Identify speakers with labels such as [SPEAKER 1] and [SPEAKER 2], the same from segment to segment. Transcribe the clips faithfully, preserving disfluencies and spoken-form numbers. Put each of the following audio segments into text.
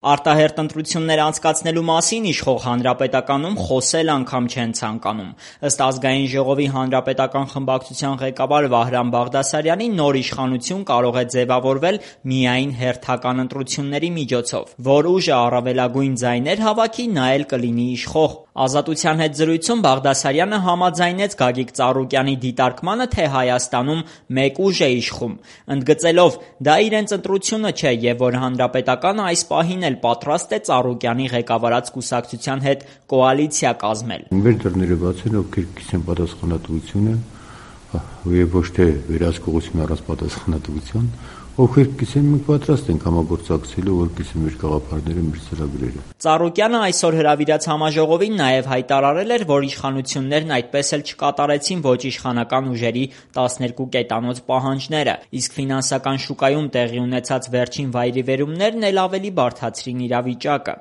[SPEAKER 1] Արտահերթ ընտրություններ անցկացնելու մասին իշխող Հանրապետականում խոսել անգամ չեն ցանկանում: Ըստ Ազգային ժողովի հանրապետական խմբակցության ղեկավար Վահրամ Բաղդասարյանի, նոր իշխանություն կարող է ձևավորվել միայն հերթական ընտրությունների միջոցով, որ ուժը առավելագույն ձայներ հավաքի, նա էլ կլինի իշխող: «Ազատության» հետ զրույցում Բաղդասարյանը համաձայնեց Գագիկ Ծառուկյանի դիտարկմանը, թե Հայաստանում մեկ ուժ է իշխում, ընդգծելով՝ դա իրենց ընտրությունը չէ և որ Հանրապետականը այս պահին էլ պատրաստ է Ծառուկյանի ղեկավարած կուսակցության հետ կոալիցիա կազմել:
[SPEAKER 2] «Մեր դռները բաց են, ովքեր կիսեն պատասխանատվությունը և ոչ թե վերահսկողություն առանց պատասխանատվության, ովքեր կիսեն, մենք պատրաստ ենք համագործակցելու, որպեսզի մեր գաղափարները, մեր ծրագրերը»:
[SPEAKER 1] Ծառուկյանը այսօր հրավիրած համաժողովին նաև հայտարարել էր, որ իշխանություններն այդպես էլ չկատարեցին ոչ իշխանական ուժերի տասներկու կետանոց պահանջները, իսկ ֆինանսական շուկայում տեղի ունեցած վերջին վայրիվերումներն էլ ավելի բարդացրին իրավիճակը: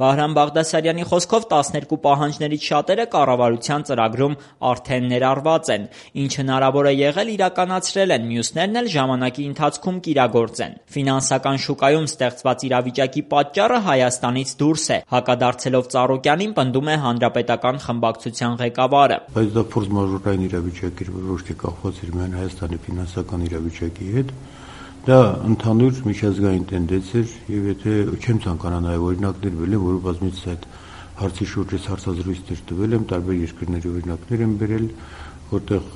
[SPEAKER 1] Վահրամ Բաղդասարյանի խոսքով տասներկու պահանջներից շատերը կառավարության ծրագրում արդեն ներառված են, ինչ հնարավոր է եղել իրականացրել են, մյուսներն էլ ժամանակի ընթացքում կիրագործեն: Ֆինանսական շուկայում ստեղծված իրավիճակի պատճառը Հայաստանից դուրս է, հակադարձելով Ծառուկյանին, պնդում է Հանրապետական խմբակցության ղեկավարը:
[SPEAKER 2] Բայց դա ֆորսմաժորային իրավիճակ էր, որ ոչ թե կապված էր միայն Հայաստանի ֆինանսական իրավիճակի հետ, դա ընդհանուր միջազգային տենդենց էր և եթե չեմ ցանկանա նաև օրինակներ բերել, որը բազմիցս այդ հարցի շուրջ ես հարցազրույցներ տվել եմ, տարբեր երկրների օրինակներ եմ բերել, որտեղ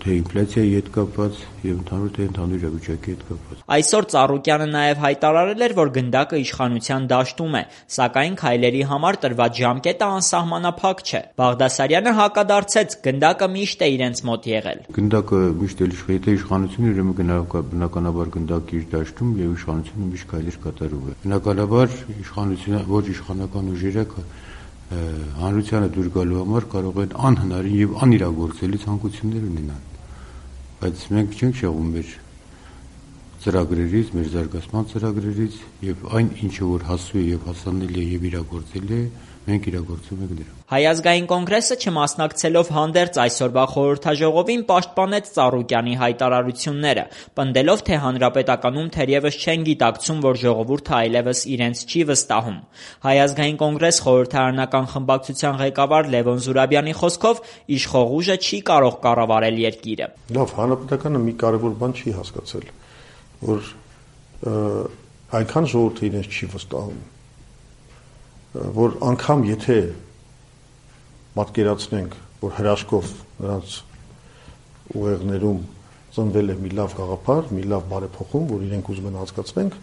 [SPEAKER 2] թե ինֆլյացիայի հետ կապված և ընդհանուր թե ընդհանուր իրավիճակի հետ կապված:
[SPEAKER 1] Այսօր Ծառուկյանը նաև հայտարարել էր, որ գնդակը իշխանության դաշտում է, սակայն քայլերի համար տրված ժամկետը անսահմանափակ չէ: Բաղդասարյանը հակադարձեց՝ գնդակը միշտ է իրենց մոտ եղել:
[SPEAKER 2] «Գնդակը միշտ էլ իշխանության, եթե իշխանություն էր, ուրեմն բնականաբար գնդակը իր դաշտում և իշխանությունը միշտ քայլեր կատարում է: Բնականաբար ոչ իշխանական ուժերը հանրությանը դուր գալու համար կարող են անհնարին և անիրագործելի ցանկություններ ունենալ, բայց մենք չենք շեղում մեր ծրագրերից, մեր զարգացման ծրագրերից և այն ինչը որ հասու է և հասանելի է և իրագործելի է, մենք իրագործում ենք դրանք»:
[SPEAKER 1] Հայ ազգային կոնգրեսը, չմասնակցելով հանդերձ այսօրվա խորհրդաժողովին, պաշտպանեց Ծառուկյանի հայտարարությունները, պնդելով, թե Հանրապետականում թերևս չեն գիտակցում, որ ժողովուրդը այլևս իրենց չի վստահում: Հայ ազգային կոնգրես խորհրդարանական խմբակցության ղեկավար Լևոն Զուրաբյանի խոսքով, իշխող ուժը չի կարող կառավարել երկիրը:
[SPEAKER 3] Հանրապետականը մի կարևոր բան չի հասկացել, որ այնքան ժողովուրդը իրենց չի վստահում, որ անգամ եթե պատկերացնենք, որ հրաշքով նրանց ուղեղներում ծնվել է մի լավ գաղափար, մի լավ բարեփոխում, որ իրենք ուզում են անցկացնենք,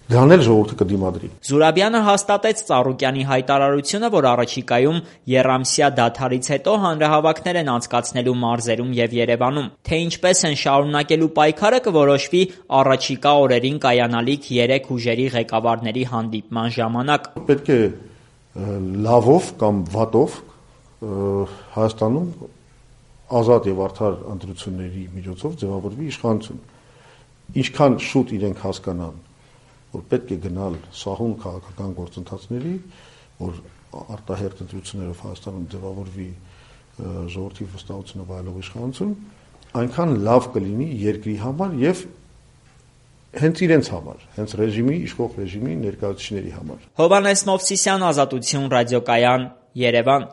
[SPEAKER 3] դրան էլ ժողովուրդը կդիմադրի:
[SPEAKER 1] Զուրաբյանը հաստատեց Ծառուկյանի հայտարարությունը, որ առաջիկայում եռամսյա դադարից հետո հանրահավաքներ են անցկացնելու մարզերում և Երևանում: Թե ինչպես են շարունակելու պայքարը, կորոշվի առաջիկա օրերին կայանալիք երեք ուժերի ղեկավարների հանդիպման ժամանակ:
[SPEAKER 3] Պետք է լավով կամ վատով Հայաստանում ազատ և արդար ընտրությունների միջոցով ձևավորվի իշխանություն: Ինչքան շուտ իրենք հասկանան, որ պետք է գնալ սահուն քաղաքական գործընթացների, որ արտահերթ ընտրություններով Հայաստանում ձևավորվի ժողովրդի վստահությունը վայելող իշխանություն, այնքան լավ կլինի երկրի համար և հենց իրենց համար, հենց իշխող ռեժիմի ներկայացուցիչների համար:
[SPEAKER 1] Հովհաննես Մովսիսյան, Ազատություն ռադիոկայան, Երևան: